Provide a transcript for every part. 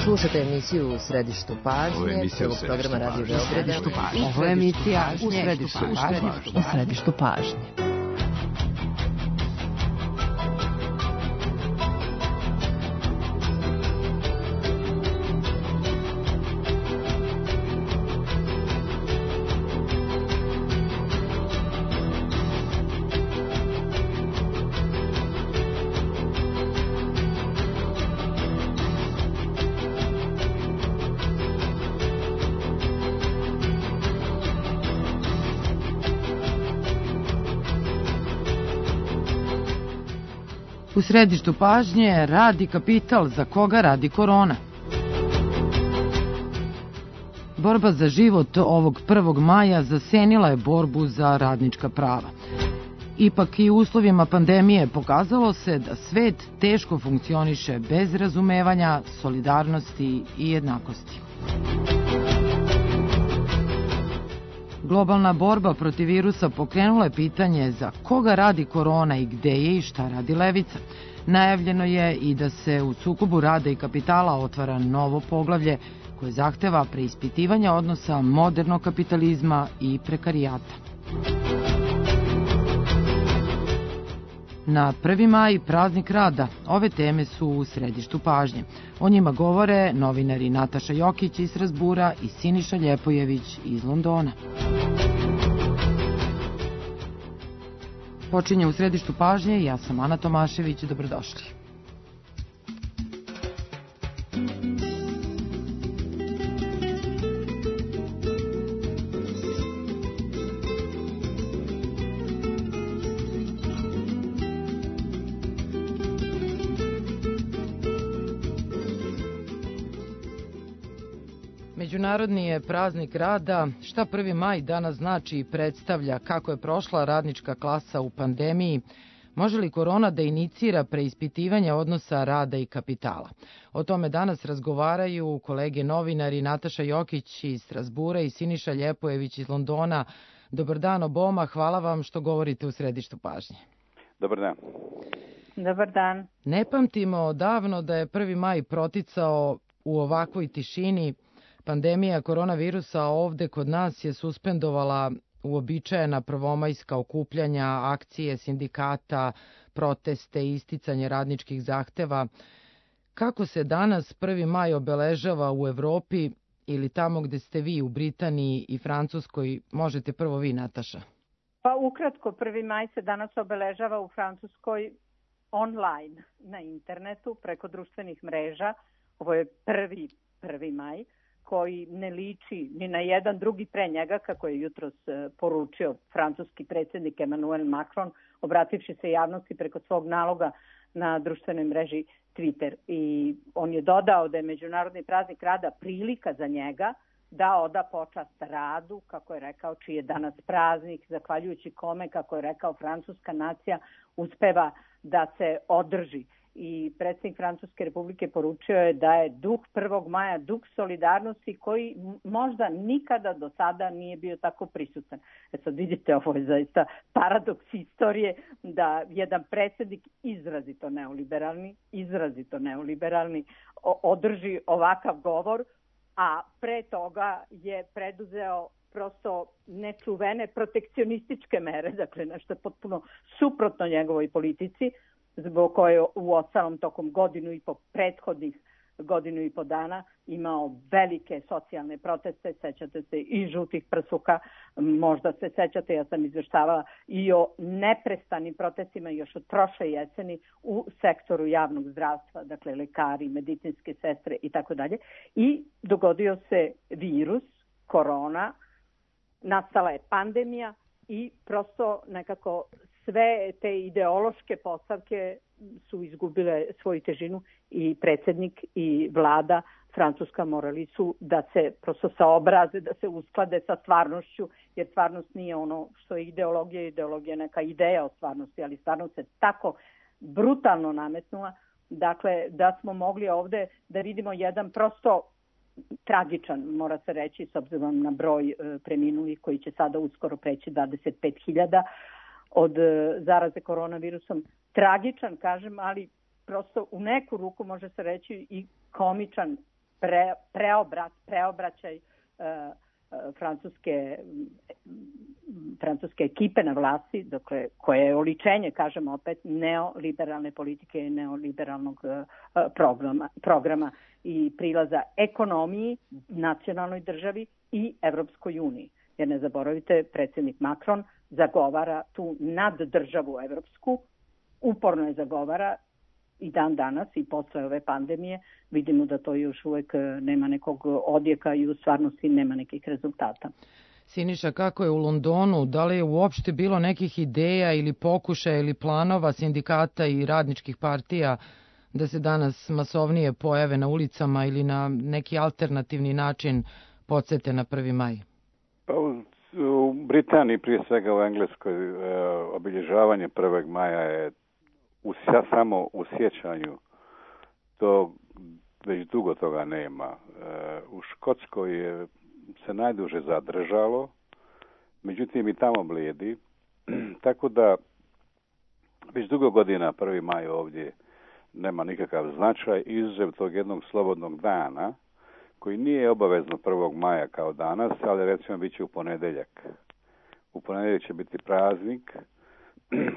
Slušate emisiju U središtu pažnje, prvog programa Radio Beograda. Ovo je emisija U središtu pažnje. U središtu pažnje radi kapital, za koga radi korona. Borba za život ovog 1. maja zasenila je borbu za radnička prava. Ipak i u uslovima pandemije pokazalo se da svet teško funkcioniše bez razumevanja, solidarnosti i jednakosti. Globalna borba protiv virusa pokrenula je pitanje za koga radi korona i gde je i šta radi levica. Najavljeno je i da se u sukobu rada i kapitala otvara novo poglavlje koje zahteva preispitivanje odnosa modernog kapitalizma i prekarijata. Na 1. maj, praznik rada, ove teme su u središtu pažnje. O njima govore novinari Nataša Jokić iz Strazbura i Siniša Ljepojević iz Londona. Počinje u središtu pažnje, ja sam Ana Tomašević, dobrodošli. Međunarodni je praznik rada. Šta 1. maj danas znači i predstavlja, kako je prošla radnička klasa u pandemiji, može li korona da inicira preispitivanje odnosa rada i kapitala? O tome danas razgovaraju kolege novinari Nataša Jokić iz Strazbura i Siniša Ljepojević iz Londona. Dobar dan oboma, hvala vam što govorite u središtu pažnje. Dobar dan. Dobar dan. Ne pamtimo davno da je 1. maj proticao u ovakvoj tišini. Pandemija koronavirusa ovde kod nas je suspendovala uobičajena prvomajska okupljanja, akcije sindikata, proteste i isticanje radničkih zahteva. Kako se danas 1. maj obeležava u Evropi ili tamo gde ste vi, u Britaniji i Francuskoj? Možete prvo vi, Nataša. Pa ukratko, 1. maj se danas obeležava u Francuskoj online, na internetu, preko društvenih mreža. Ovo je 1. maj. Koji ne liči ni na jedan drugi pre njega, kako je jutros poručio francuski predsjednik Emmanuel Macron, obrativši se javnosti preko svog naloga na društvenoj mreži Twitter. I on je dodao da je Međunarodni praznik rada prilika za njega da oda počast radu, kako je rekao, čiji je danas praznik, zahvaljujući kome, kako je rekao, francuska nacija uspeva da se održi. I predsjednik Francuske republike poručio je da je duh 1. maja duh solidarnosti koji možda nikada do sada nije bio tako prisutan. Sad vidite, ovo je zaista paradoks istorije da jedan predsjednik izrazito neoliberalni održi ovakav govor, a pre toga je preduzeo prosto nečuvene protekcionističke mere, dakle nešto potpuno suprotno njegovoj politici, zbog koje u ostalom tokom prethodnih godinu i po dana imao velike socijalne proteste, sećate se i žutih prsuka, možda se sećate, ja sam izveštavala i o neprestanim protestima još od prošle jeseni u sektoru javnog zdravstva, dakle lekari, medicinske sestre i tako dalje. I dogodio se virus, korona, nastala je pandemija i prosto nekako sve te ideološke postavke su izgubile svoju težinu i predsjednik i vlada Francuska morali su da se prosto saobraze, da se usklade sa stvarnošću, jer stvarnost nije ono što je ideologija, ideologija je neka ideja o stvarnosti, ali stvarnost se tako brutalno nametnula, dakle da smo mogli ovde da vidimo jedan prosto tragičan, mora se reći, s obzirom na broj preminulih koji će sada uskoro preći 25.000 od zaraze koronavirusom. Tragičan, kažem, ali prosto u neku ruku može se reći i komičan preobraćaj francuske ekipe na vlasti, dakle, koje je oličenje, kažemo opet, neoliberalne politike i neoliberalnog programa i prilaza ekonomiji, nacionalnoj državi i Evropskoj uniji. Jer ne zaboravite, predsjednik Macron zagovara tu naddržavu evropsku, uporno je zagovara i dan danas i posle ove pandemije vidimo da to još uvek nema nekog odjeka i u stvarnosti nema nekih rezultata. Siniša, kako je u Londonu? Da li je uopšte bilo nekih ideja ili pokušaja ili planova sindikata i radničkih partija da se danas masovnije pojave na ulicama ili na neki alternativni način podsete na 1. maj? Pa u Britaniji, prije svega u Engleskoj, obilježavanje 1. maja je samo u sjećanju. To već dugo toga nema. U Škotskoj je se najduže zadržalo, međutim i tamo blijedi. Tako da već dugo godina 1. maj ovdje nema nikakav značaj, izuzev tog jednog slobodnog dana, koji nije obavezno 1. maja kao danas, ali recimo bit će u ponedjeljak. U ponedjeljak će biti praznik,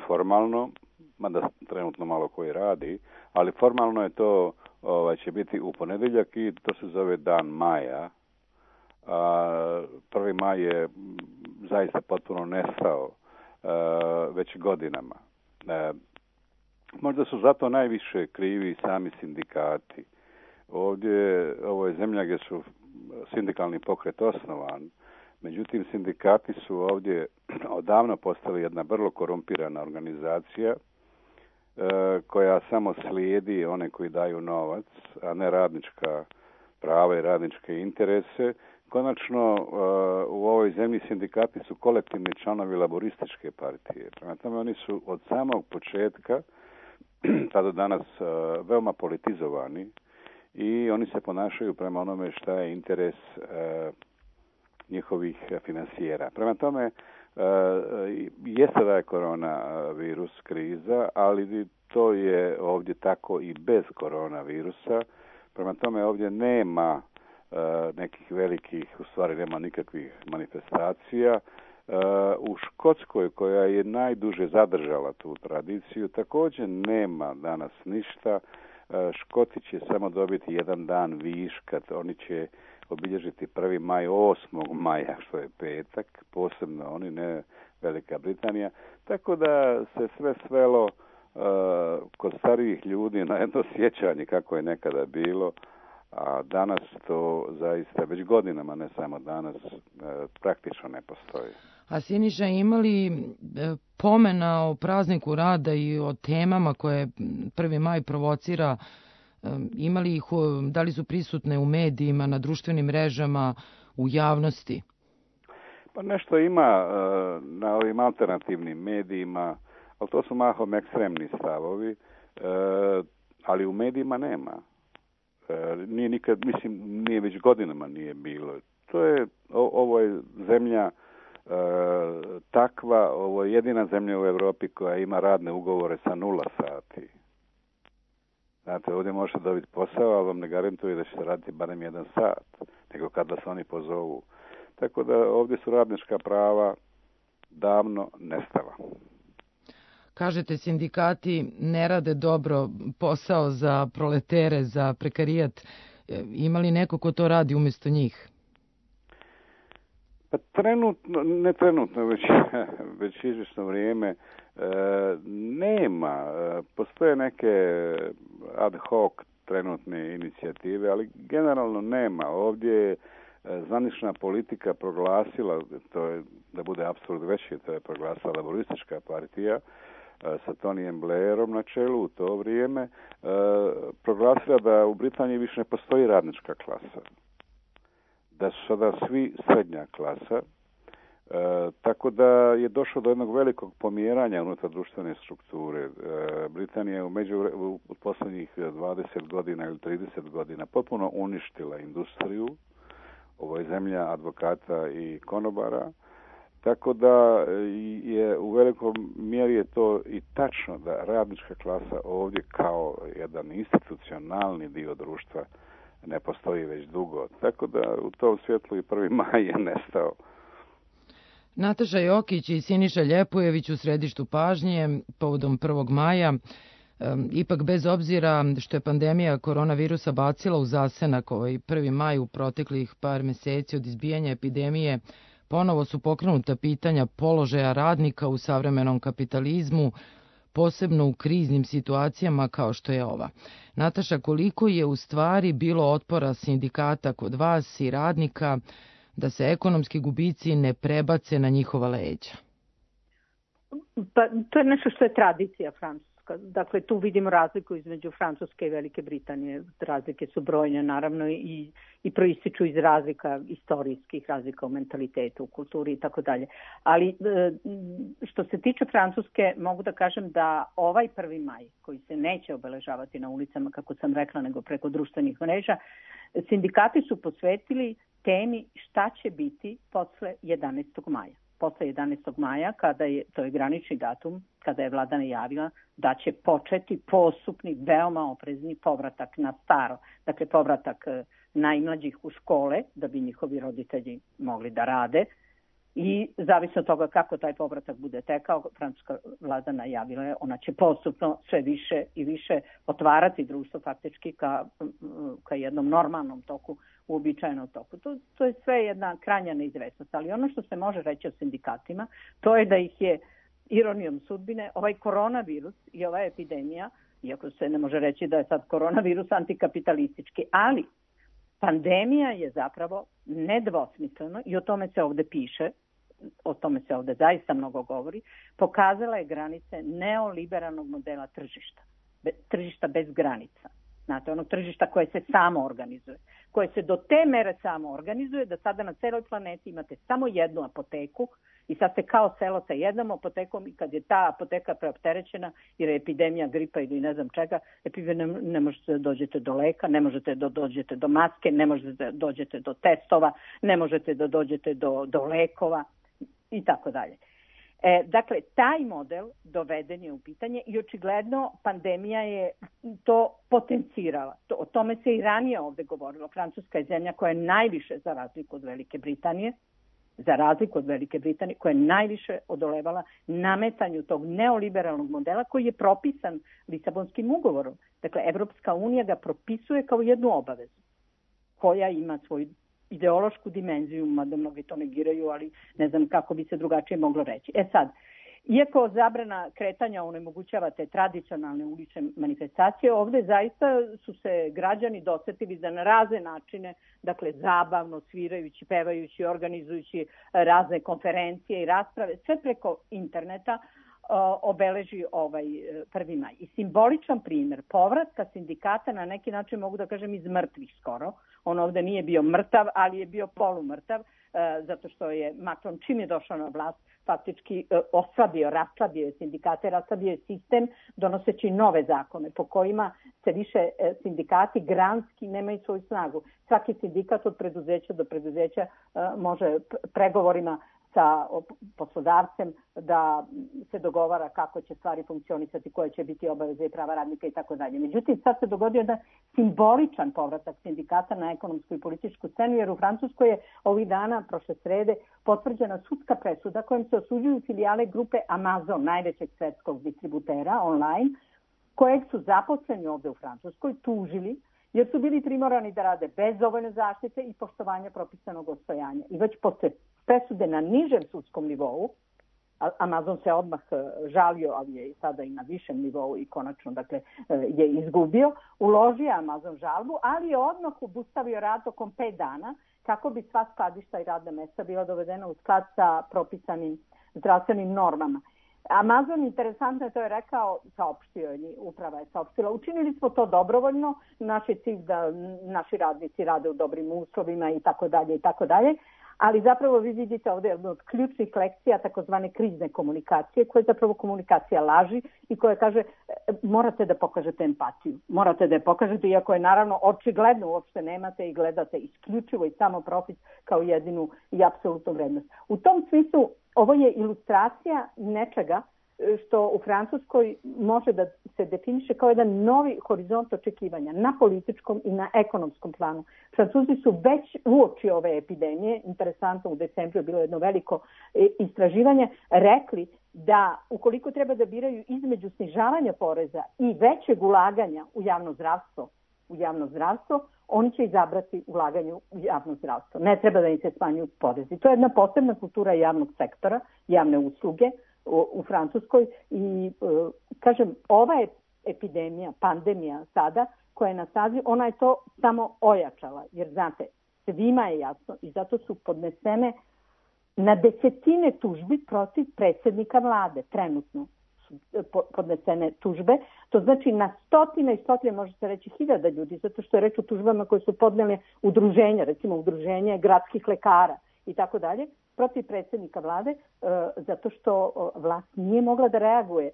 formalno, mada trenutno malo koji radi, ali formalno je to će biti u ponedjeljak i to se zove Dan maja. 1. maj je zaista potpuno nestao već godinama. Možda su zato najviše krivi sami sindikati. Ovo je zemlja gdje su sindikalni pokret osnovan, međutim sindikati su ovdje odavno postali jedna vrlo korumpirana organizacija koja samo slijedi one koji daju novac, a ne radnička prava i radničke interese. Konačno, u ovoj zemlji sindikati su kolektivni članovi laborističke partije. Prema tome, oni su od samog početka, pa do danas, veoma politizovani i oni se ponašaju prema onome šta je interes njihovih finansijera. Prema tome, jeste da je koronavirus kriza, ali to je ovdje tako i bez koronavirusa. Prema tome, ovdje nema nekih velikih, u stvari nema nikakvih manifestacija. U Škotskoj, koja je najduže zadržala tu tradiciju, također nema danas ništa. Škoti će samo dobiti jedan dan viška, oni će obilježiti 1. maj 8. maja, što je petak, posebno oni, ne Velika Britanija. Tako da se sve svelo kod starijih ljudi na jedno sjećanje kako je nekada bilo, a danas to zaista već godinama, ne samo danas, praktično ne postoji. A Siniša, ima li pomena o prazniku rada i o temama koje 1. maj provocira? Ima li ih, da li su prisutne u medijima, na društvenim mrežama, u javnosti? Pa nešto ima na ovim alternativnim medijima, ali to su mahom ekstremni stavovi, ali u medijima nema. Nije nikad, mislim, nije već godinama nije bilo. Ovo je zemlja takva, ovo je jedina zemlja u Europi koja ima radne ugovore sa 0 sati. Znate, ovdje možete dobiti posao, ali vam ne garantuje da ćete raditi barem 1 sat, nego kad vas oni pozovu. Tako da ovdje su radnička prava davno nestala. Kažete, sindikati ne rade dobro posao za proletere, za prekarijat. Ima li neko ko to radi umjesto njih? Pa ne trenutno, već izvjesno vrijeme nema. Postoje neke ad hoc trenutne inicijative, ali generalno nema. Ovdje je zvanična politika proglasila, to je, da bude apsurd veći, to je proglasila laboristička partija sa Tonyjem Blairom na čelu u to vrijeme, proglasila da u Britaniji više ne postoji radnička klasa. Da su sada svi srednja klasa, tako da je došlo do jednog velikog pomjeranja unutar društvene strukture. Britanija je u posljednjih 20 godina ili 30 godina potpuno uništila industriju. Ovo je zemlja advokata i konobara, tako da je u velikom mjeri je to i tačno da radnička klasa ovdje kao jedan institucionalni dio društva ne postoji već dugo. Tako da u tom svjetlu i 1. maj je nestao. Nataša Jokić i Siniša Ljepojević u središtu pažnje povodom 1. maja. Ipak bez obzira što je pandemija koronavirusa bacila u zasenak ovaj 1. maj u proteklih par meseci od izbijanja epidemije, ponovo su pokrenuta pitanja položaja radnika u savremenom kapitalizmu, posebno u kriznim situacijama kao što je ova. Nataša, koliko je u stvari bilo otpora sindikata kod vas i radnika da se ekonomski gubici ne prebace na njihova leđa? Pa, to je nešto što je tradicija francuska. Dakle, tu vidimo razliku između Francuske i Velike Britanije. Razlike su brojne, naravno, i proističu iz razlika, istorijskih razlika u mentalitetu, u kulturi i tako dalje. Ali što se tiče Francuske, mogu da kažem da ovaj 1. maj, koji se neće obeležavati na ulicama, kako sam rekla, nego preko društvenih mreža, sindikati su posvetili temi šta će biti posle 11. maja. Posle 11. maja, to je granični datum, kada je vlada najavila da će početi postupni, veoma oprezni povratak na staro. Dakle, povratak najmlađih u škole, da bi njihovi roditelji mogli da rade. I zavisno od toga kako taj povratak bude tekao, francuska vlada najavila je, ona će postupno sve više i više otvarati društvo faktički ka jednom normalnom toku, uobičajenom toku. To je sve jedna krajnja neizvesnost, ali ono što se može reći o sindikatima, to je da ih je ironijom sudbine ovaj koronavirus i ova epidemija, iako se ne može reći da je sad koronavirus antikapitalistički, ali pandemija je zapravo nedvosmisleno, i o tome se ovde piše, o tome se ovde zaista mnogo govori, pokazala je granice neoliberalnog modela tržišta. Tržišta bez granica. Znate, onog tržišta koje se samo organizuje. Koje se do te mere samo organizuje da sada na celoj planeti imate samo jednu apoteku i sad ste kao selo sa jednom apotekom i kad je ta apoteka preopterećena jer je epidemija gripa ili ne znam čega, ne možete da dođete do leka, ne možete da dođete do maske, ne možete da dođete do testova, ne možete da dođete do lekova i tako dalje. Dakle, taj model doveden je u pitanje i očigledno pandemija je to potencirala. O tome se i ranije ovde govorilo. Francuska je zemlja koja je najviše, za razliku od Velike Britanije, koja je najviše odolevala nametanju tog neoliberalnog modela koji je propisan Lisabonskim ugovorom. Dakle, Evropska unija ga propisuje kao jednu obavezu koja ima svoju ideološku dimenziju, mada mnogi to negiraju, ali ne znam kako bi se drugačije moglo reći. Sad, iako zabrana kretanja onemogućava te tradicionalne ulične manifestacije, ovde zaista su se građani dosetili da na razne načine, dakle zabavno, svirajući, pevajući, organizujući razne konferencije i rasprave, sve preko interneta, obeleži ovaj 1. maj. I simboličan primjer povratka sindikata, na neki način mogu da kažem iz mrtvih skoro. On ovde nije bio mrtav, ali je bio polumrtav, zato što je Macron čim je došao na vlast faktički raslabio sindikate, raslabio je sistem donoseći nove zakone po kojima se više sindikati granski nemaju svoju snagu. Svaki sindikat od preduzeća do preduzeća može pregovorima sa poslodavcem da se dogovara kako će stvari funkcionisati, koje će biti obaveze i prava radnika i tako dalje. Međutim, sad se dogodio da simboličan povratak sindikata na ekonomsku i političku scenu, jer u Francuskoj je ovih dana, prošle srede, potvrđena sudska presuda kojom se osuđuju filijale grupe Amazon, najvećeg svetskog distributera online, kojeg su zaposleni ovde u Francuskoj tužili jer su bili primorani da rade bez dovoljne zaštite i poštovanja propisanog odstojanja. I već posle presude na nižem sudskom nivou, Amazon se odmah žalio, ali je sada i na višem nivou i konačno je izgubio, uložio Amazon žalbu, ali je odmah obustavio rad tokom 5 dana kako bi sva skladišta i radna mesta bila dovedena u sklad sa propisanim zdravstvenim normama. Amazon, interesantno je to je rekao, uprava je saopštila, učinili smo to dobrovoljno, naš je cilj da naši radnici rade u dobrim uslovima i tako dalje, ali zapravo vi vidite ovdje jednu od ključnih lekcija takozvane krizne komunikacije, koja je zapravo komunikacija laži i koja kaže morate da pokažete empatiju, morate da je pokažete, iako je naravno očigledno uopšte nemate i gledate isključivo i samo profit kao jedinu i apsolutnu vrednost. U tom smislu ovo je ilustracija nečega što u Francuskoj može da se definiše kao jedan novi horizont očekivanja na političkom i na ekonomskom planu. Francuzi su već uoči ove epidemije, interesantno u decembru je bilo jedno veliko istraživanje, rekli da ukoliko treba da biraju između snižavanja poreza i većeg ulaganja u javno zdravstvo, oni će izabrati ulaganje u javno zdravstvo. Ne treba da im se smanjuju porezi. To je jedna posebna kultura javnog sektora, javne usluge u Francuskoj i kažem, ova je epidemija, pandemija sada koja je na snazi, ona je to samo ojačala, jer znate, svima je jasno i zato su podnesene na desetine tužbi protiv predsjednika vlade, trenutno su podnesene tužbe, to znači na stotine i stotine, može se reći 1000 ljudi, zato što je reč o tužbama koje su podnele udruženja, recimo udruženje gradskih lekara i tako dalje, protiv predsjednika vlade, zato što vlast nije mogla da reaguje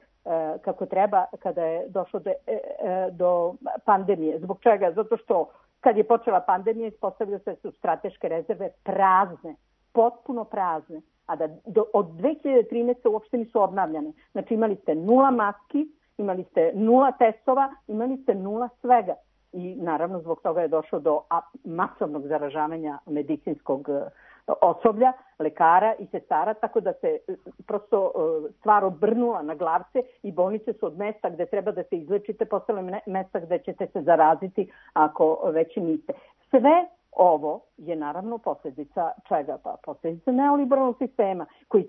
kako treba kada je došlo do pandemije. Zbog čega? Zato što kad je počela pandemija ispostavilo se da su strateške rezerve prazne, potpuno prazne, a da od 2013. uopšte nisu obnavljane. Znači imali ste 0 maski, imali ste 0 testova, imali ste 0 svega. I naravno zbog toga je došlo do masovnog zaražavanja medicinskog osoblja, lekara i sestara, tako da se prosto stvar obrnula na glavce i bolnice su od mesta gde treba da se izlečite postale mesta gde ćete se zaraziti ako već niste. Sve ovo je naravno posljedica čega? Pa posljedica neoliberalnog sistema koji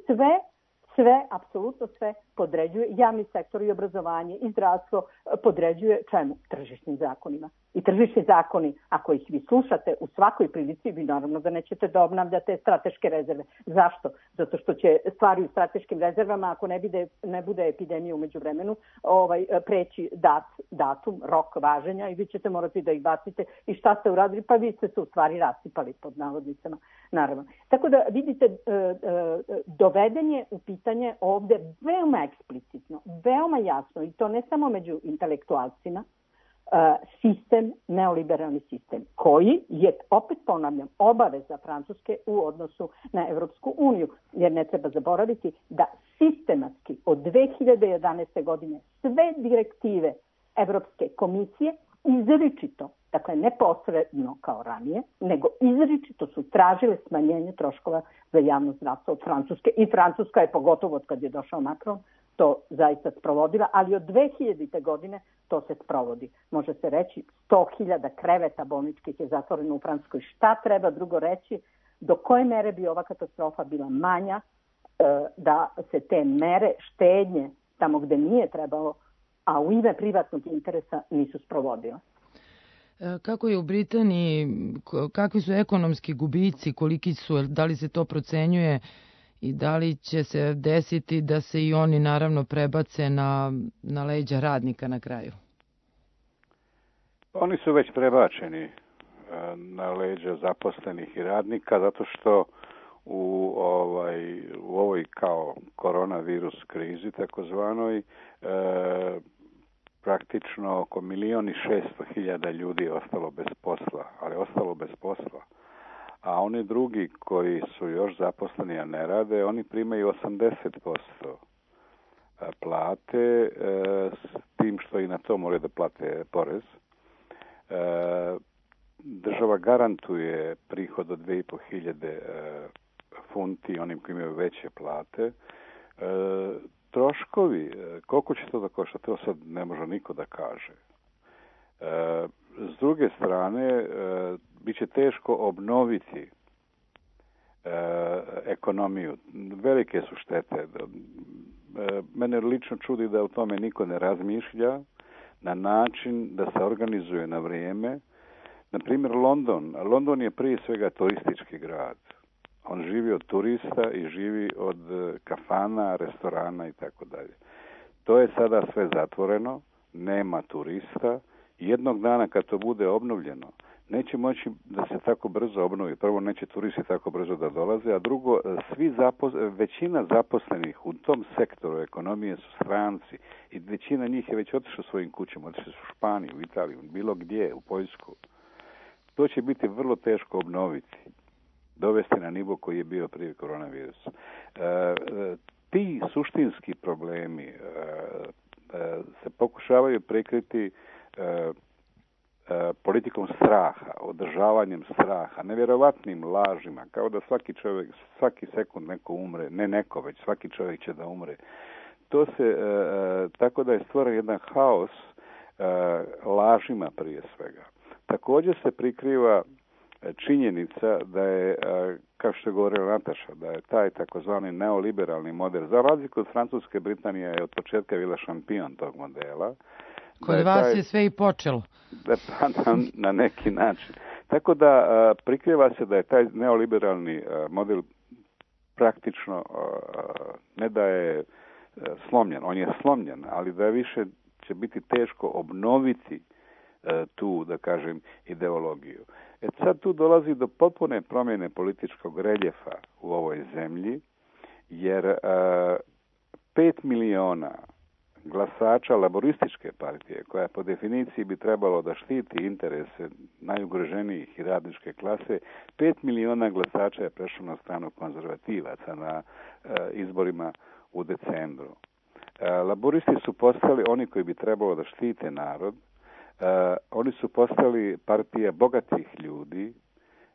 apsolutno sve podređuje, javni sektor i obrazovanje i zdravstvo podređuje čemu? Tržišnim zakonima. I tržišni zakoni, ako ih vi slušate u svakoj prilici, vi naravno da nećete da obnavljate strateške rezerve. Zašto? Zato što će stvari u strateškim rezervama, ako ne bude epidemija u međuvremenu, preći datum, rok važenja i vi ćete morati da ih bacite. I šta ste uradili? Pa vi ste se u stvari rasipali pod navodnicama, naravno. Tako da vidite, doveden je u pitanje ovde veoma eksplicitno, veoma jasno, i to ne samo među intelektualcima, sistem, neoliberalni sistem, koji je, opet ponavljam, obaveza Francuske u odnosu na Evropsku uniju, jer ne treba zaboraviti da sistematski od 2011. godine sve direktive Evropske komisije izričito, dakle ne posredno kao ranije, nego izričito su tražile smanjenje troškova za javno zdravstvo od Francuske i Francuska je pogotovo od kad je došao Macron to zaista sprovodila, ali od 2000. godine to se sprovodi. Može se reći 100.000 kreveta bolničkih je zatvoreno u Francuskoj. Šta treba drugo reći? Do koje mere bi ova katastrofa bila manja da se te mere štednje tamo gde nije trebalo, a u ime privatnog interesa nisu sprovodile. Kako je u Britaniji, kakvi su ekonomski gubici, koliki su, da li se to procenjuje i da li će se desiti da se i oni naravno prebace na leđa radnika na kraju? Oni su već prebačeni na leđa zaposlenih i radnika zato što u ovoj kao koronavirus krizi takozvanoj praktično oko 1.600.000 ljudi je ostalo bez posla, ali ostalo bez posla. A oni drugi koji su još zaposleni, a ne rade, oni primaju 80% plate, s tim što i na to moraju da plate porez. Država garantuje prihod od 2.500 funti onim koji imaju veće plate. Troškovi, koliko će to da košta, to sad ne može niko da kaže. S druge strane, bit će teško obnoviti ekonomiju. Velike su štete. Mene lično čudi da u tome niko ne razmišlja na način da se organizuje na vrijeme. Na primjer, London je prije svega turistički grad. On živi od turista i živi od kafana, restorana i tako dalje. To je sada sve zatvoreno, nema turista. Jednog dana kad to bude obnovljeno, neće moći da se tako brzo obnovi. Prvo, neće turisti tako brzo da dolaze, a drugo, većina zaposlenih u tom sektoru ekonomije su stranci i većina njih je već otišla svojim kućama, otišli su u Španiju, u Italiju, bilo gdje, u Poljsku. To će biti vrlo teško obnoviti, dovesti na nivo koji je bio prije koronavirusa. ti suštinski problemi se pokušavaju prikriti politikom straha, održavanjem straha, nevjerovatnim lažima, kao da svaki čovjek, svaki sekund neko umre, ne neko, već svaki čovjek će da umre. To se, tako da je stvoren jedan haos lažima prije svega. Također se prikriva činjenica da je, kao što je govorila Nataša, da je taj takozvani neoliberalni model, za razliku od Francuske, Britanija je od početka bila šampion tog modela. Kod vas je sve i počelo. Na neki način. Tako da prikriva se da je taj neoliberalni model praktično ne da je slomljen, on je slomljen, ali da više će biti teško obnoviti tu, da kažem, ideologiju. Sad tu dolazi do potpune promjene političkog reljefa u ovoj zemlji, jer 5 miliona glasača laborističke partije, koja po definiciji bi trebalo da štiti interese najugroženijih i radničke klase, 5 miliona glasača je prešlo na stranu konzervativaca na izborima u decembru. Laboristi su postali oni koji bi trebalo da štite narod, oni su postali partija bogatih ljudi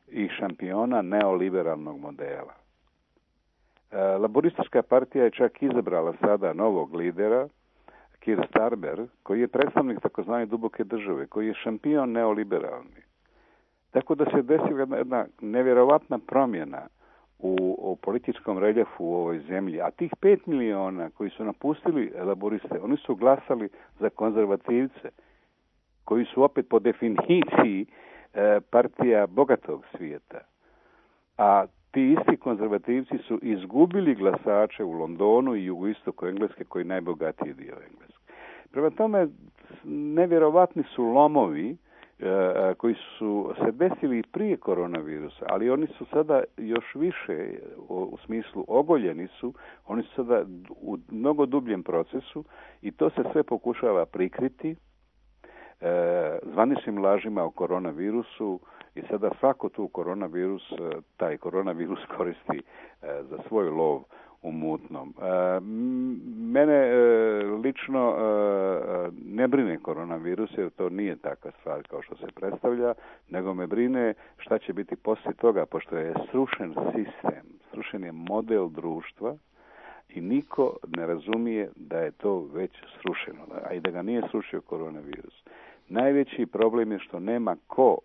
i šampiona neoliberalnog modela. Laboristička partija je čak izabrala sada novog lidera, Keir Starmer, koji je predstavnik takozvane duboke države, koji je šampion neoliberalni. Tako da se desila jedna nevjerovatna promjena u političkom reljefu u ovoj zemlji. A tih 5 miliona koji su napustili laboriste, oni su glasali za konzervativce, koji su opet po definiciji partija bogatog svijeta. A ti isti konzervativci su izgubili glasače u Londonu i jugoistoku Engleske, koji je najbogatiji dio Engleske. Prema tome, nevjerovatni su lomovi koji su se desili prije koronavirusa, ali oni su sada još više, u smislu ogoljeni su, oni su sada u mnogo dubljem procesu i to se sve pokušava prikriti zvaničnim lažima o koronavirusu i sada svako taj koronavirus koristi za svoj lov u mutnom. Mene lično ne brine koronavirus, jer to nije takva stvar kao što se predstavlja, nego me brine šta će biti poslije toga, pošto je srušen sistem, srušen je model društva i niko ne razumije da je to već srušeno, a i da ga nije srušio koronavirus. Najveći problem je što nema ko,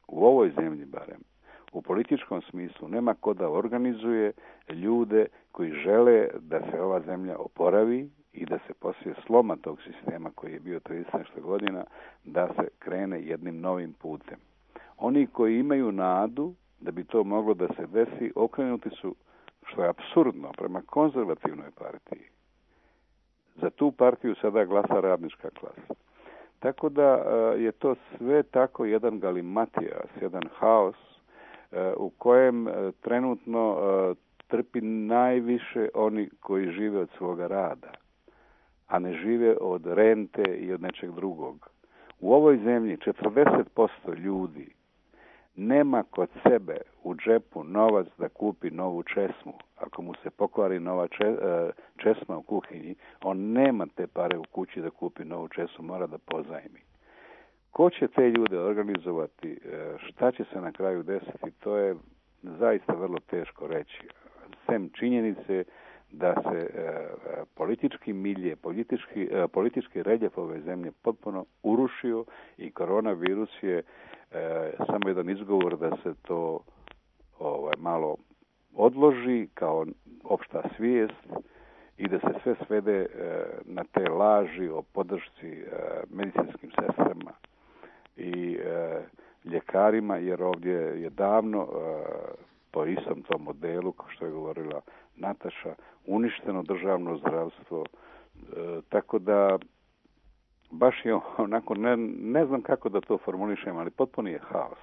u ovoj zemlji barem, u političkom smislu, nema ko da organizuje ljude koji žele da se ova zemlja oporavi i da se poslije sloma tog sistema koji je bio 30 godina, da se krene jednim novim putem. Oni koji imaju nadu da bi to moglo da se desi, okrenuti su, što je apsurdno, prema konzervativnoj partiji. Za tu partiju sada glasa radnička klasa. Tako da je to sve tako jedan galimatijas, jedan haos u kojem trenutno trpi najviše oni koji žive od svoga rada, a ne žive od rente i od nečeg drugog. U ovoj zemlji 40% ljudi nema kod sebe u džepu novac da kupi novu česmu. Ako mu se pokvari nova česma u kuhinji, on nema te pare u kući da kupi novu česmu, mora da pozajmi. Ko će te ljude organizovati, šta će se na kraju desiti, to je zaista vrlo teško reći. Sem činjenice da se politički milje, politički reljef ove zemlje potpuno urušio i koronavirus je samo jedan izgovor da se to malo odloži kao opšta svijest i da se sve svede na te laži o podršci medicinskim sestrama i ljekarima, jer ovdje je davno po istom tom modelu, kao što je govorila Nataša, uništeno državno zdravstvo, tako da baš je onako, ne znam kako da to formulišem, ali potpuno je haos.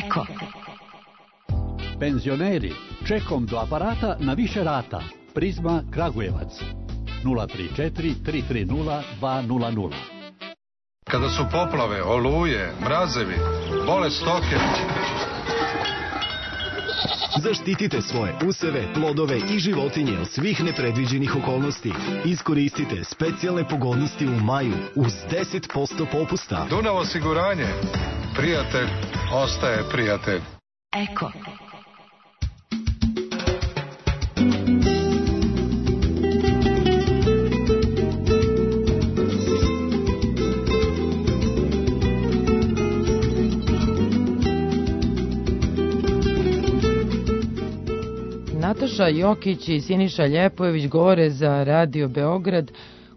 Eko. Penzioneri, čekom do aparata na više rata. Prizma Kragujevac 034 330 200. Kada su poplave, oluje, mrazevi, bole stoke. Zaštitite svoje useve, plodove i životinje od svih nepredviđenih okolnosti. Iskoristite specijalne pogodnosti u maju uz 10% popusta. Dunav osiguranje. Prijatelj ostaje prijatelj. Eko. Nataša Jokić i Siniša Ljepojević govore za Radio Beograd.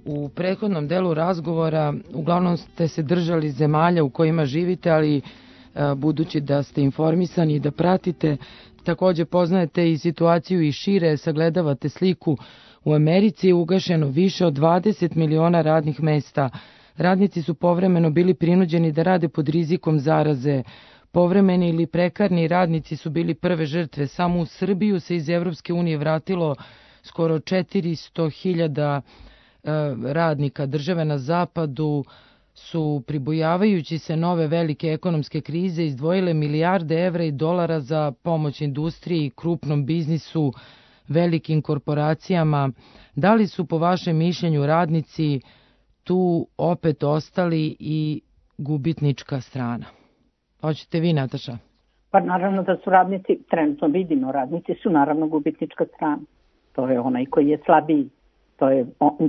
U prethodnom delu razgovora uglavnom ste se držali zemalja u kojima živite, ali budući da ste informisani i da pratite, takođe poznajete i situaciju i šire, sagledavate sliku. U Americi je ugašeno više od 20 miliona radnih mesta. Radnici su povremeno bili prinuđeni da rade pod rizikom zaraze. Povremeni ili prekarni radnici su bili prve žrtve. Samo u Srbiju se iz Evropske unije vratilo skoro 400.000 radnika. Države na zapadu su, pribojavajući se nove velike ekonomske krize, izdvojile milijarde evra i dolara za pomoć industriji, krupnom biznisu, velikim korporacijama. Da li su po vašem mišljenju radnici tu opet ostali i gubitnička strana? Hoćete vi, Nataša? Pa naravno da su radnici, trenutno vidimo, radnici su naravno gubitnička strana. To je onaj koji je slabiji. To je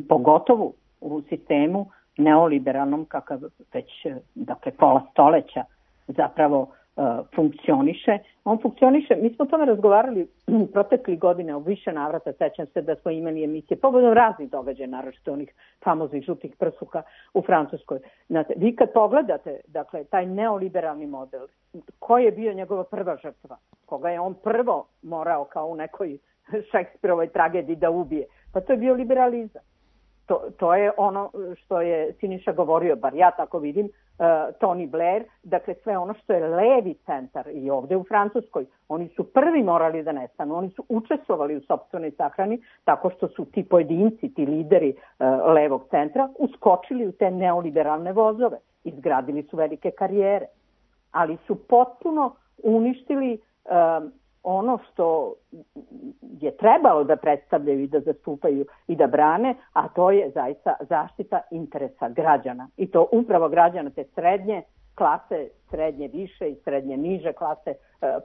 pogotovo u sistemu neoliberalnom, kakav već, dakle, pola stoleća zapravo funkcioniše. On funkcioniše, mi smo o tome razgovarali protekli godine u više navrata, sećam se da smo imali emisije povodom raznih događaja, naročito onih famoznih žutih prsuka u Francuskoj. Znate, vi kad pogledate, dakle, taj neoliberalni model, koji je bio njegova prva žrtva, koga je on prvo morao kao u nekoj Šekspirovoj tragediji da ubije, pa to je bio liberalizam. To je ono što je Siniša govorio, bar ja tako vidim, Tony Blair, dakle sve ono što je levi centar i ovde u Francuskoj, oni su prvi morali da nestanu, oni su učestvovali u sopstvenoj sahrani tako što su ti pojedinci, ti lideri levog centra uskočili u te neoliberalne vozove, izgradili su velike karijere, ali su potpuno uništili ono što je trebalo da predstavljaju i da zastupaju i da brane, a to je zaista zaštita interesa građana. I to upravo građana te srednje klase, srednje više i srednje niže klase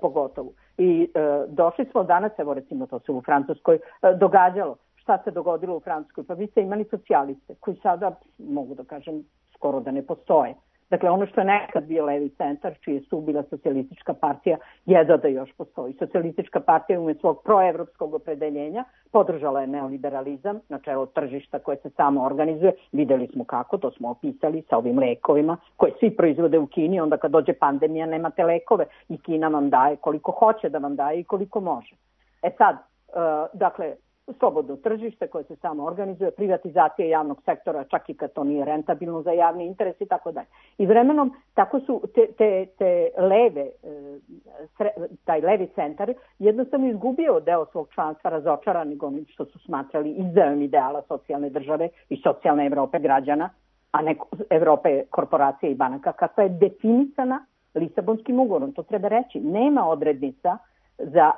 pogotovo. I došli smo danas, evo recimo to se u Francuskoj događalo. Šta se dogodilo u Francuskoj? Pa vi ste imali socijaliste koji sada, mogu da kažem, skoro da ne postoje. Dakle, ono što je nekad bio levi centar, čije su bila socijalistička partija, jedva da još postoji. Socijalistička partija ume svog proevropskog opredeljenja podržala je neoliberalizam, načelo tržišta koje se samo organizuje. Videli smo kako, to smo opisali sa ovim lekovima koje svi proizvode u Kini. Onda kad dođe pandemija nemate lekove i Kina vam daje koliko hoće da vam daje i koliko može. E sad, dakle, slobodno tržište koje se samo organizuje, privatizacija javnog sektora, čak i kad to nije rentabilno za javni interes i tako dalje. I vremenom tako su te leve, taj levi centar jednostavno izgubio deo svog članstva, razočarani onim što su smatrali izdajom ideala socijalne države i socijalne Evrope građana, a ne Evrope korporacije i banaka, kakva je definisana Lisabonskim ugovorom. To treba reći. Nema odrednica za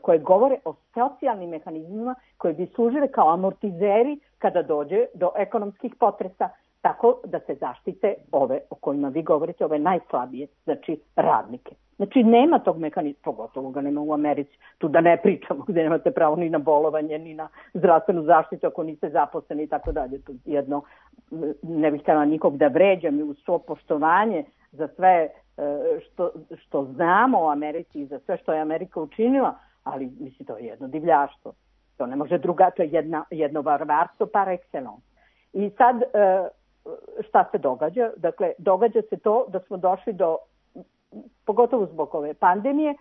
koje govore o socijalnim mehanizmima koji bi služile kao amortizeri kada dođe do ekonomskih potresa, tako da se zaštite ove o kojima vi govorite, ove najslabije, znači radnike. Znači nema tog mehanizma, pogotovo ga nema u Americi, tu da ne pričamo, gde nemate pravo ni na bolovanje, ni na zdravstvenu zaštitu ako niste zaposleni i tako dalje. Tu jedno, ne bih htjela nikog da vređam i uz svo poštovanje za sve što znamo o Americi i za sve što je Amerika učinila, ali mislim to je jedno divljaštvo. To ne može druga, to je jedno varvarstvo par excellence. I sad šta se događa? Dakle, događa se to da smo došli do, pogotovo zbog ove pandemije,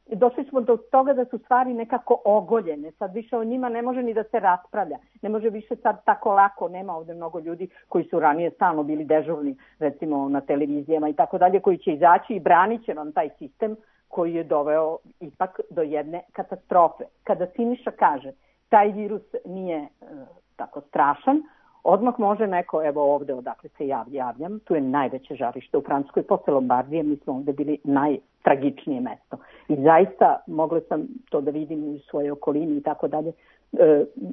došli smo do toga da su stvari nekako ogoljene. Sad više o njima ne može ni da se raspravlja. Ne može više sad tako lako, nema ovde mnogo ljudi koji su ranije stalno bili dežurni, recimo na televizijama i tako dalje, koji će izaći i branit će vam taj sistem koji je doveo ipak do jedne katastrofe. Kada Siniša kaže taj virus nije tako strašan, odmah može neko, evo ovde odakle se javljam, tu je najveće žarište u Francuskoj, posle Lombardije, mi smo ovde bili najtragičnije mesto. I zaista mogla sam to da vidim u svojoj okolini i tako dalje.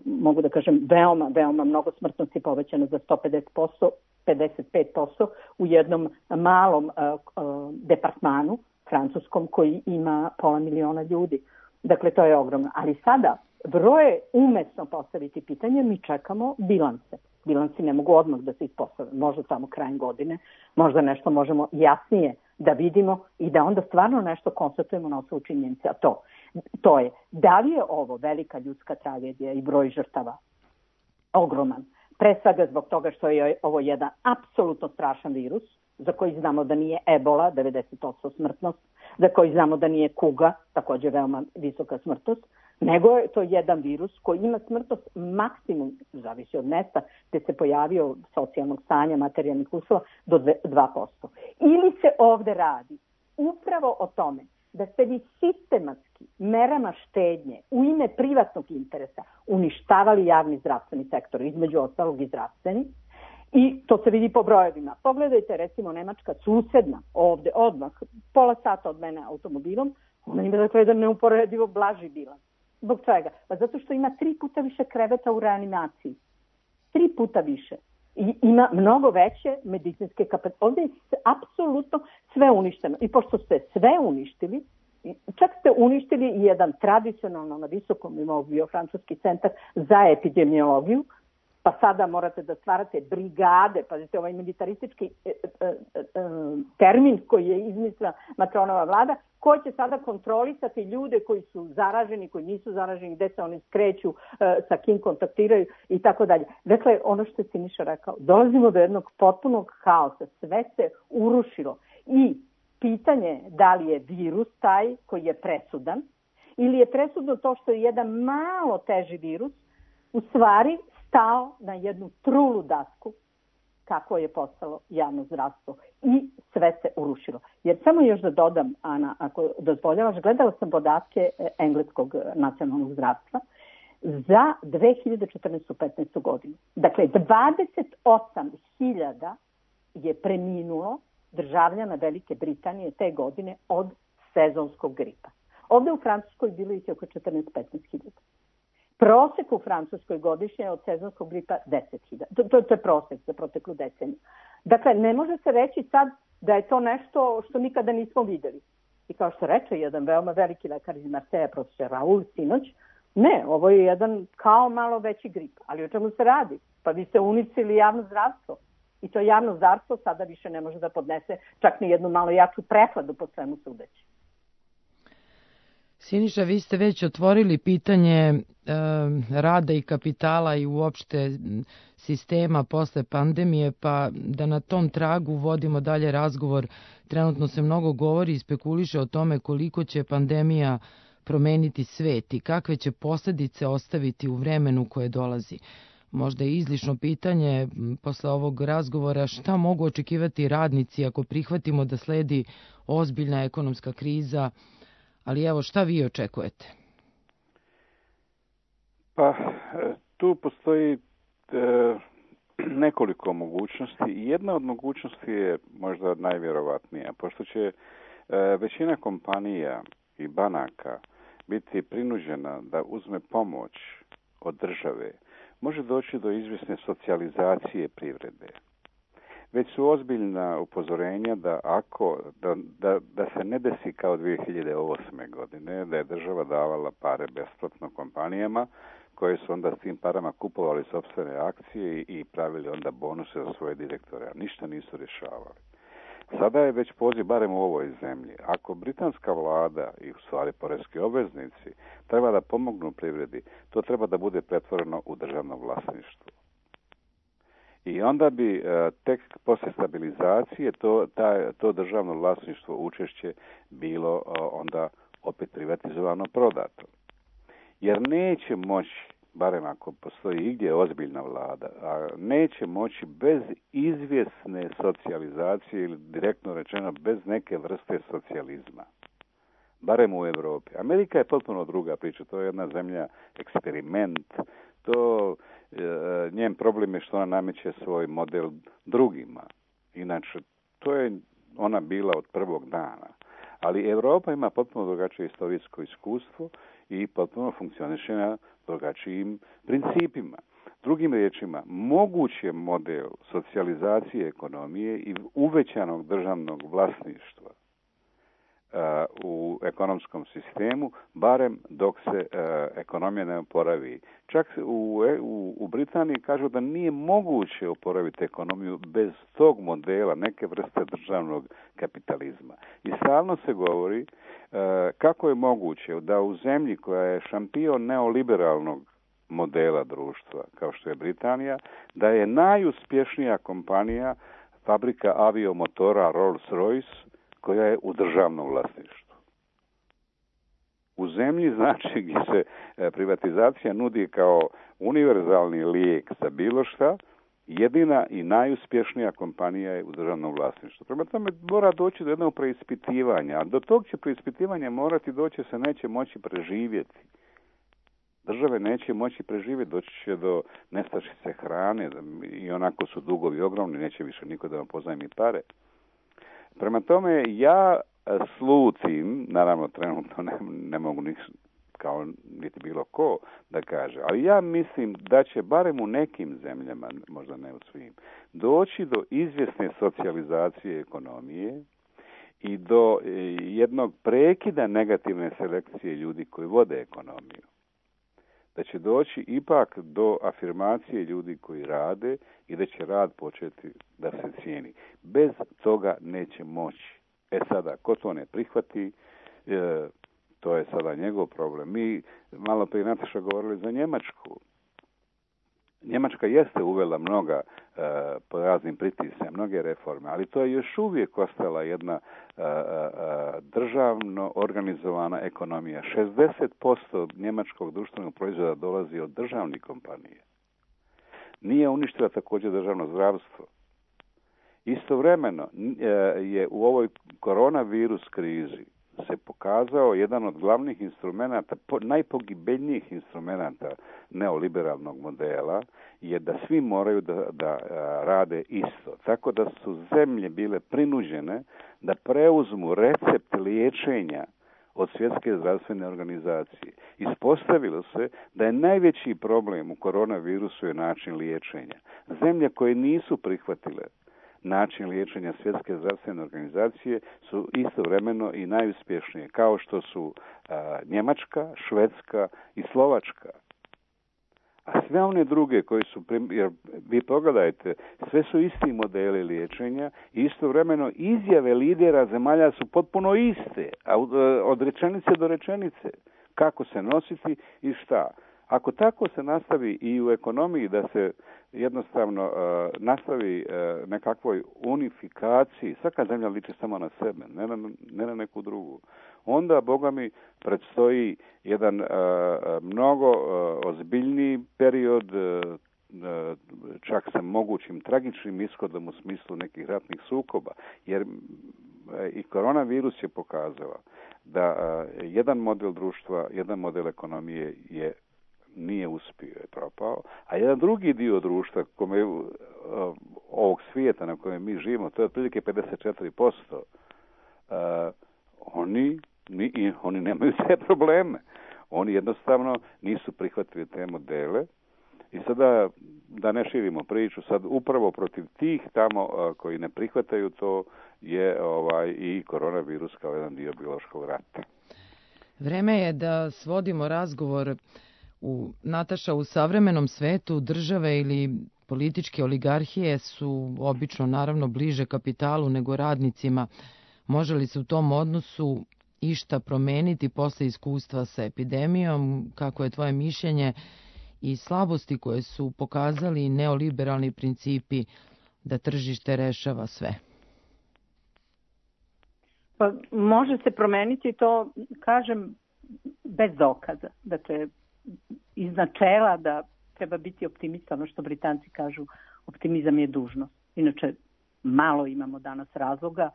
Mogu da kažem, veoma mnogo smrtnosti povećano za 150%, 55% u jednom malom departmanu francuskom koji ima 500.000 ljudi. Dakle, to je ogromno. Ali sada broje umesno postaviti pitanje, mi čekamo bilanse. Bilansi ne mogu odmah da se ispostave, možda samo krajem godine, možda nešto možemo jasnije da vidimo i da onda stvarno nešto konstatujemo na osnovu činjenice. A to je, da li je ovo velika ljudska tragedija i broj žrtava ogroman, pre svega zbog toga što je ovo jedan apsolutno strašan virus, za koji znamo da nije ebola, 90% smrtnost, za koji znamo da nije kuga, također veoma visoka smrtnost, nego je to jedan virus koji ima smrtnost maksimum, zavisi od mesta gde se pojavio socijalnog stanja, materijalnih uslova, do 2%. Ili se ovde radi upravo o tome da ste vi sistematski merama štednje u ime privatnog interesa uništavali javni zdravstveni sektor, između ostalog i zdravstveni, i to se vidi po brojevima. Pogledajte recimo Nemačka susedna ovde odmah, pola sata od mene automobilom, ona ima dakle jedan neuporedivo blaži bilans. Zbog čega? Pa zato što ima 3 puta više kreveta u reanimaciji. 3 puta više. I ima mnogo veće medicinske kapacitete. Ovdje je apsolutno sve uništeno. I pošto ste sve uništili, čak ste uništili i jedan tradicionalno na visokom nivou bio francuski centar za epidemiologiju, pa sada morate da stvarate brigade, pazite, ovaj militaristički termin koji je izmislila Macronova vlada, ko će sada kontrolisati ljude koji su zaraženi, koji nisu zaraženi, gde se oni skreću, sa kim kontaktiraju i tako dalje. Dakle, ono što je Siniša rekao, dolazimo do jednog potpunog haosa, sve se urušilo i pitanje da li je virus taj koji je presudan ili je presudno to što je jedan malo teži virus u stvari stao na jednu trulu dasku kako je postalo javno zdravstvo i sve se urušilo. Jer samo još da dodam, Ana, ako dozvoljavaš, gledala sam podatke engleskog nacionalnog zdravstva za 2014-15. godinu. Dakle, 28.000 je preminulo državljana Velike Britanije te godine od sezonskog gripa. Ovde u Francuskoj bilo ih je oko 14-15.000. Prosek u Francuskoj godišnje od sezonskog gripa 10.000. To je prosek za proteklu deceniju. Dakle, ne može se reći sad da je to nešto što nikada nismo videli. I kao što reče jedan veoma veliki lekar iz Marseja, profesor Raul, sinoć, ne, ovo je jedan kao malo veći grip. Ali o čemu se radi? Pa vi ste uništili javno zdravstvo. I to javno zdravstvo sada više ne može da podnese čak ni jednu malo jaču prehladu po svemu sudeći. Siniša, vi ste već otvorili pitanje rada i kapitala i uopšte sistema posle pandemije, pa da na tom tragu vodimo dalje razgovor. Trenutno se mnogo govori i spekuliše o tome koliko će pandemija promeniti svet i kakve će posledice ostaviti u vremenu koje dolazi. Možda je izlišno pitanje posle ovog razgovora šta mogu očekivati radnici ako prihvatimo da sledi ozbiljna ekonomska kriza, ali evo šta vi očekujete? Pa tu postoji nekoliko mogućnosti i jedna od mogućnosti je možda najvjerovatnija, pošto će većina kompanija i banaka biti prinuđena da uzme pomoć od države, može doći do izvjesne socijalizacije privrede. Već su ozbiljna upozorenja da se ne desi kao 2008. godine, da je država davala pare besplatno kompanijama, koje su onda s tim parama kupovali sopstvene akcije i pravili onda bonuse za svoje direktore, a ništa nisu rješavali. Sada je već poziv, barem u ovoj zemlji, ako britanska vlada i u stvari poreski obveznici treba da pomognu privredi, to treba da bude pretvoreno u državno vlasništvo. I onda bi tek posle stabilizacije to državno vlasništvo učešće bilo onda opet privatizovano, prodato. Jer neće moći, barem ako postoji igdje ozbiljna vlada, a neće moći bez izvjesne socijalizacije ili direktno rečeno bez neke vrste socijalizma. Barem u Europi. Amerika je potpuno druga priča, to je jedna zemlja eksperiment, njen problem je što ona nameće svoj model drugima. Inače, to je ona bila od prvog dana. Ali Europa ima potpuno drugačije historijsko iskustvo i potpuno funkcioniše na drugačijim principima. Drugim riječima, moguć je model socijalizacije ekonomije i uvećanog državnog vlasništva u ekonomskom sistemu, barem dok se ekonomija ne oporavi. Čak u Britaniji kažu da nije moguće oporaviti ekonomiju bez tog modela, neke vrste državnog kapitalizma. I stalno se govori kako je moguće da u zemlji koja je šampion neoliberalnog modela društva, kao što je Britanija, da je najuspješnija kompanija fabrika aviomotora Rolls-Royce koja je u državnom vlasništvu. U zemlji, znači, gdje se privatizacija nudi kao univerzalni lijek za bilo šta, jedina i najuspješnija kompanija je u državnom vlasništvu. Prema tome mora doći do jednog preispitivanja, a do tog će preispitivanja morati doći, se neće moći preživjeti. Države neće moći preživjeti, doći će do nestašice hrane i onako su dugovi ogromni, neće više niko da vam pozajmi pare. Prema tome, ja slutim, naravno trenutno ne mogu kao niti bilo ko da kaže, ali ja mislim da će barem u nekim zemljama, možda ne u svim, doći do izvjesne socijalizacije ekonomije i do jednog prekida negativne selekcije ljudi koji vode ekonomiju. Da će doći ipak do afirmacije ljudi koji rade i da će rad početi da se cijeni. Bez toga neće moći. Sada, ko to ne prihvati, to je sada njegov problem. Mi malo prije Nataša govorili za Njemačku. Njemačka jeste uvela mnoga po raznim pritiscima, mnoge reforme, ali to je još uvijek ostala jedna državno organizovana ekonomija. 60% njemačkog društvenog proizvoda dolazi od državnih kompanija. Nije uništila također državno zdravstvo. Istovremeno je u ovoj koronavirus krizi se pokazao jedan od glavnih instrumenata, najpogibeljnijih instrumenata neoliberalnog modela, je da svi moraju da rade isto. Tako da su zemlje bile prinuđene da preuzmu recept liječenja od Svjetske zdravstvene organizacije. Ispostavilo se da je najveći problem u koronavirusu je način liječenja. Zemlje koje nisu prihvatile način liječenja Svjetske zdravstvene organizacije su istovremeno i najuspješnije, kao što su Njemačka, Švedska i Slovačka. A sve one druge koji su, jer vi pogledajte, sve su isti modeli liječenja i istovremeno izjave lidera zemalja su potpuno iste, a od rečenice do rečenice. Kako se nositi i šta. Ako tako se nastavi i u ekonomiji da se jednostavno nastavi nekakvoj unifikaciji, svaka zemlja liči samo na sebe, ne na neku drugu, onda, Boga mi, predstoji jedan mnogo ozbiljniji period, čak sa mogućim tragičnim ishodom u smislu nekih ratnih sukoba, jer i koronavirus je pokazao da jedan model društva, jedan model ekonomije nije uspio, je propao, a jedan drugi dio društva ovog svijeta na kojem mi živimo, to je otprilike 54%, oni nemaju te probleme. Oni jednostavno nisu prihvatili te modele i sada, da ne širimo priču, sad upravo protiv tih tamo koji ne prihvataju to je i koronavirus kao jedan dio biološkog rata. Vreme je da svodimo razgovor Nataša, u savremenom svetu države ili političke oligarhije su obično naravno bliže kapitalu nego radnicima. Može li se u tom odnosu išta promeniti posle iskustva sa epidemijom? Kako je tvoje mišljenje i slabosti koje su pokazali neoliberalni principi da tržište rešava sve? Pa može se promeniti, to kažem bez dokaza. Dakle, iz načela da treba biti optimista, ono što Britanci kažu, optimizam je dužnost. Inače, malo imamo danas razloga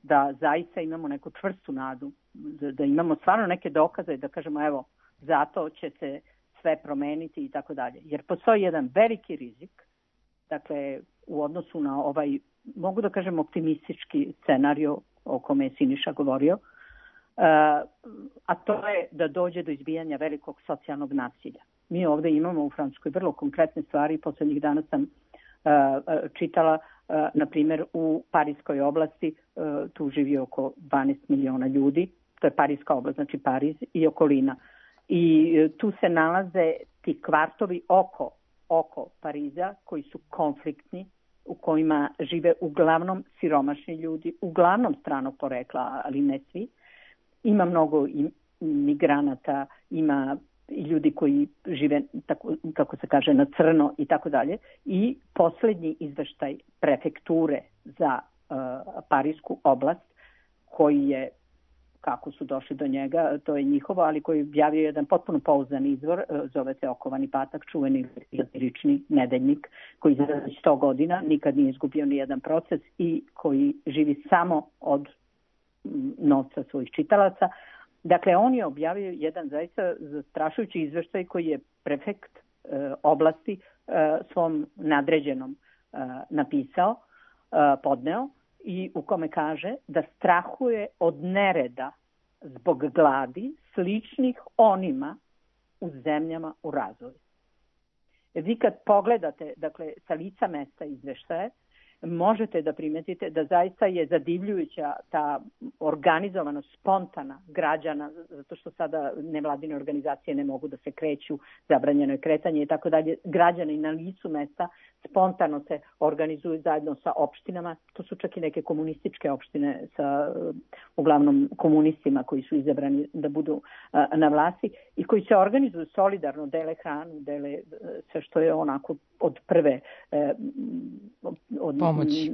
da zaista imamo neku čvrstu nadu, da imamo stvarno neke dokaze i da kažemo evo, zato će se sve promeniti i tako dalje. Jer postoji jedan veliki rizik, dakle, u odnosu na ovaj, mogu da kažem, optimistički scenario o kome je Siniša govorio, a to je da dođe do izbijanja velikog socijalnog nasilja. Mi ovdje imamo u Francuskoj vrlo konkretne stvari. Poslednjih dana sam čitala, na primjer, u Parijskoj oblasti, tu živi oko 12 miliona ljudi, to je Parijska oblast, znači Pariz i okolina. I tu se nalaze ti kvartovi oko Pariza koji su konfliktni, u kojima žive uglavnom siromašni ljudi, uglavnom stranog porekla, ali ne svi. Ima mnogo migranata, ima i ljudi koji žive, tako, kako se kaže, na crno i tako dalje. I posljednji izveštaj prefekture za Parijsku oblast, koji je, kako su došli do njega, to je njihovo, ali koji je objavio jedan potpuno pouzdan izvor, zove se Okovani patak, čuveni satirični nedeljnik, koji za 100 godina nikad nije izgubio ni jedan proces i koji živi samo od novca svojih čitalaca. Dakle, on je objavio jedan zaista zastrašujući izveštaj koji je prefekt oblasti svom nadređenom napisao, podneo, i u kome kaže da strahuje od nereda zbog gladi sličnih onima u zemljama u razvoju. Vi kad pogledate, dakle, sa lica mesta izveštaje, možete da primetite da zaista je zadivljujuća ta organizovanost spontana građana, zato što sada nevladine organizacije ne mogu da se kreću, zabranjeno je kretanje i tako dalje. Građani na licu mesta spontano se organizuju zajedno sa opštinama. To su čak i neke komunističke opštine sa uglavnom komunistima koji su izabrani da budu na vlasti i koji se organizuju solidarno, dele hranu, dele sve što je onako od prve od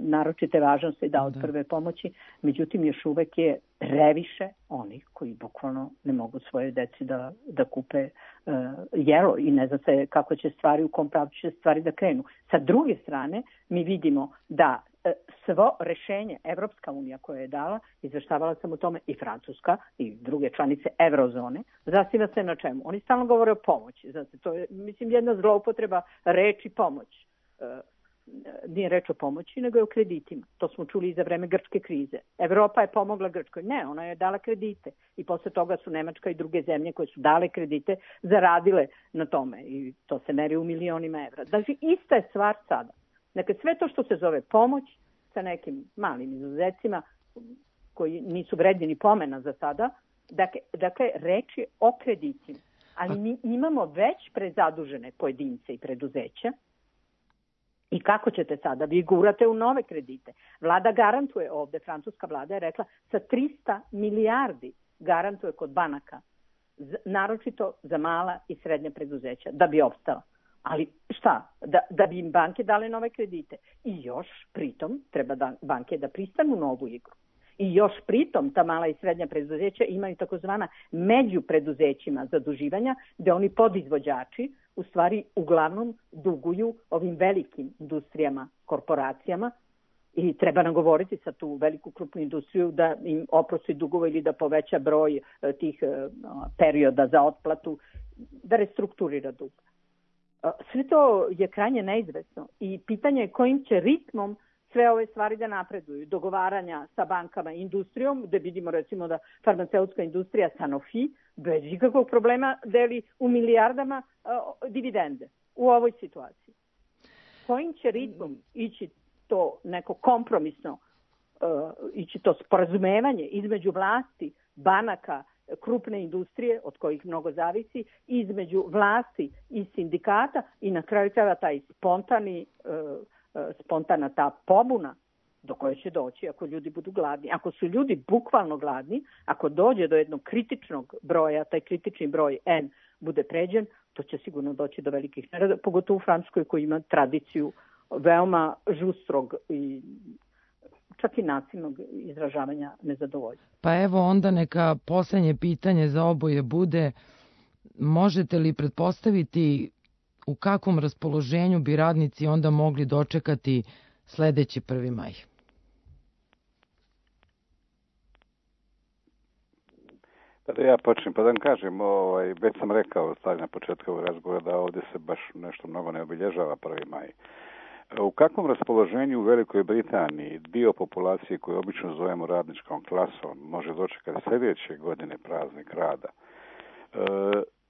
naročite važnosti od prve pomoći. Međutim, još uvek je previše onih koji bukvalno ne mogu svoje deci da kupe jelo i ne zna se kako će stvari, u kom pravcu će stvari da krenu. Sa druge strane, mi vidimo da svo rešenje Evropska unija koja je dala, izveštavala sam o tome, i Francuska i druge članice Eurozone, zasniva se na čemu? Oni stalno govore o pomoći. Znači, to je, mislim, jedna zloupotreba reči pomoć. nije reč o pomoći, nego je o kreditima. To smo čuli i za vreme grčke krize. Evropa je pomogla Grčkoj. Ne, ona je dala kredite. I posle toga su Nemačka i druge zemlje koje su dale kredite zaradile na tome. I to se meri u milionima evra. Znači, ista je stvar sada. Dakle, sve to što se zove pomoć sa nekim malim izuzecima koji nisu vredni ni pomena za sada, dakle reč je o kreditima. Ali mi imamo već prezadužene pojedince i preduzeća. I kako ćete sada? Vi gurate u nove kredite. Vlada garantuje ovde, francuska vlada je rekla, sa 300 milijardi garantuje kod banaka, naročito za mala i srednja preduzeća, da bi opstala. Ali šta? Da bi im banke dale nove kredite. I još pritom treba banke da pristanu na ovu igru. I još pritom ta mala i srednja preduzeća imaju takozvana među preduzećima zaduživanja, gde oni podizvođači u stvari uglavnom duguju ovim velikim industrijama, korporacijama i treba nagovoriti sa tu veliku krupnu industriju da im oprosti dugova ili da poveća broj tih perioda za otplatu, da restrukturira dug. Sve to je krajnje neizvesno i pitanje je kojim će ritmom sve ove stvari da napreduju. Dogovaranja sa bankama i industrijom, gde vidimo recimo da farmaceutska industrija Sanofi bez ikakvog problema deli u milijardama dividende u ovoj situaciji. Kojim će ritmom ići to neko kompromisno, ići to sporazumevanje između vlasti, banaka, krupne industrije, od kojih mnogo zavisi, između vlasti i sindikata i na kraju krajeva taj spontana ta pobuna do koje će doći ako ljudi budu gladni. Ako su ljudi bukvalno gladni, ako dođe do jednog kritičnog broja, taj kritični broj N bude pređen, to će sigurno doći do velikih nereda, pogotovo u Francuskoj koji ima tradiciju veoma žustrog i čak i nasilnog izražavanja nezadovoljstva. Pa evo onda neka poslednje pitanje za oboje bude, možete li pretpostaviti u kakvom raspoloženju bi radnici onda mogli dočekati sledeći 1. maj? Pa da ja počnem, pa da vam kažem, već sam rekao na početku ovog razgovora da ovdje se baš nešto mnogo ne obilježava 1. maj. U kakvom raspoloženju u Velikoj Britaniji dio populacije koju obično zovemo radničkom klasom može dočekati sljedeće godine praznik rada?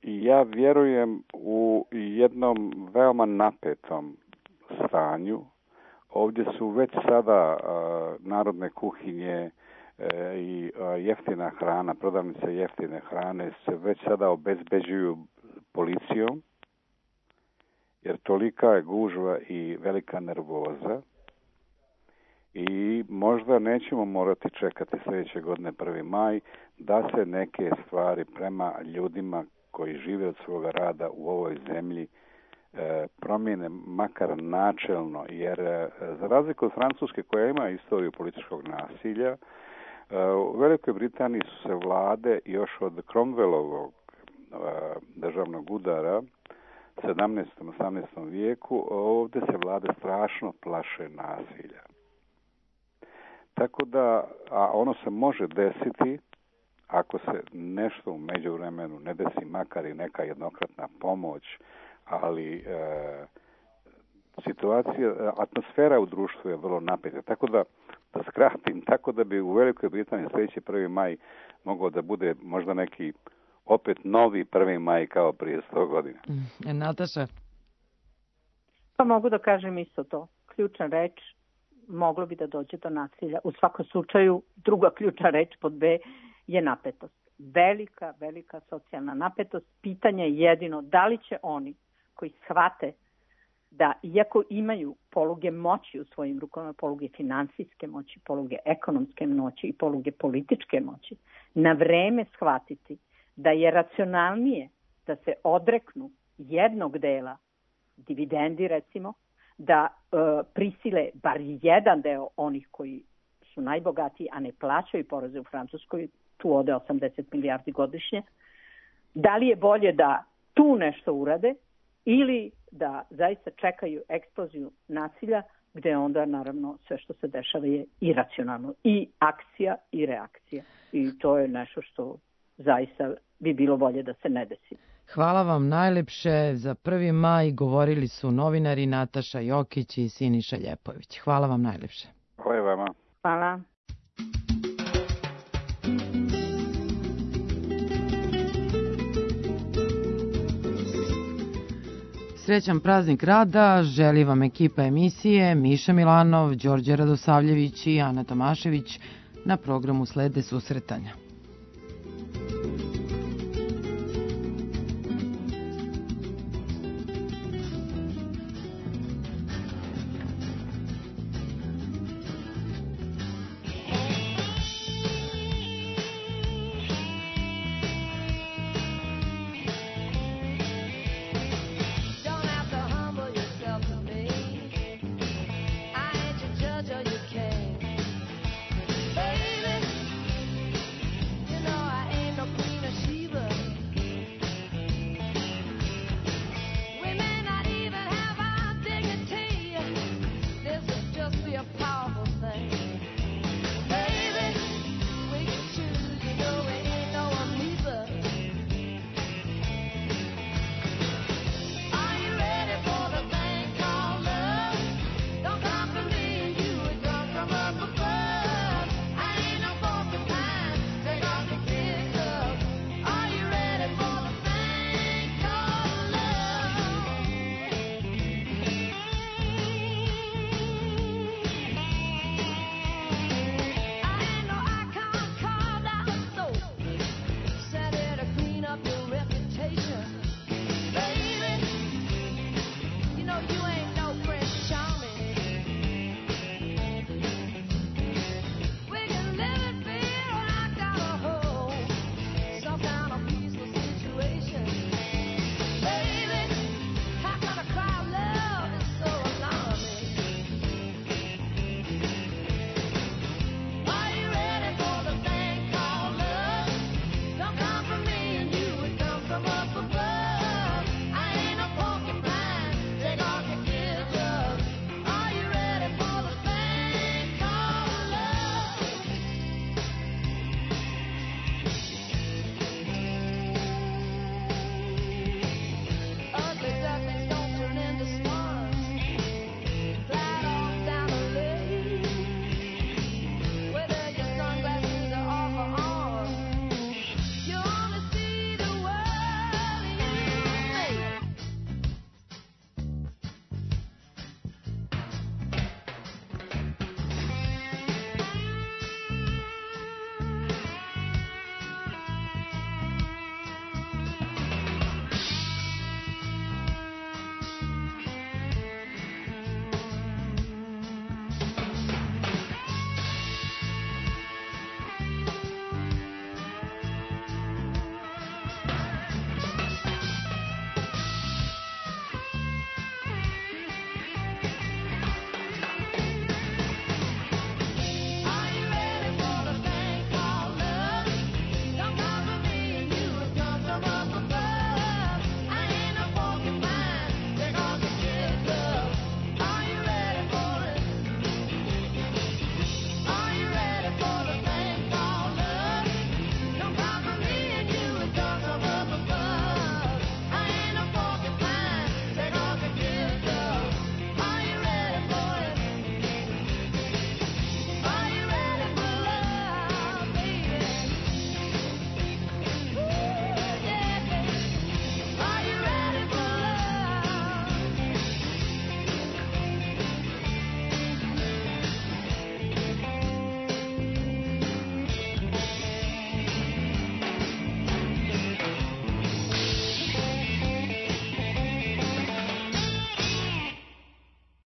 Ja vjerujem u jednom veoma napetom stanju. Ovdje su već sada narodne kuhinje i jeftina hrana, prodavnice jeftine hrane se već sada obezbeđuju policijom, jer tolika je gužva i velika nervoza i možda nećemo morati čekati sljedeće godine 1. maj da se neke stvari prema ljudima koji žive od svoga rada u ovoj zemlji promijene makar načelno, jer za razliku od Francuske koja ima istoriju političkog nasilja, u Velikoj Britaniji su se vlade još od Cromwellovog državnog udara 17. 18. vijeku, ovdje se vlade strašno plaše nasilja. Tako da, a ono se može desiti ako se nešto u međuvremenu ne desi, makar i neka jednokratna pomoć, ali situacija, atmosfera u društvu je vrlo napeta. Tako da skratim, tako da bi u Velikoj Britaniji sljedeći 1. maj mogao da bude možda neki opet novi 1. maj kao prije 100 godina. Nataša? Pa mogu da kažem isto to. Ključna reč, moglo bi da dođe do nasilja. U svakom slučaju, druga ključna reč pod B je napetost. Velika socijalna napetost. Pitanje je jedino da li će oni koji shvate da iako imaju poluge moći u svojim rukama, poluge finansijske moći, poluge ekonomske moći i poluge političke moći, na vreme shvatiti da je racionalnije da se odreknu jednog dela, dividendi recimo, da prisile bar jedan deo onih koji su najbogatiji, a ne plaćaju poreze u Francuskoj, tu ode 80 milijardi godišnje, da li je bolje da tu nešto urade ili da zaista čekaju eksploziju nasilja, gde onda naravno sve što se dešava je iracionalno. I akcija i reakcija. I to je nešto što zaista bi bilo bolje da se ne desi. Hvala vam najlepše. Za 1. maj govorili su novinari Nataša Jokić i Siniša Ljepović. Hvala vam najlepše. Hvala vama. Hvala. Srećan praznik rada želi vam ekipa emisije Miša Milanov, Đorđe Radosavljević i Ana Tomašević. Na programu slede susretanja.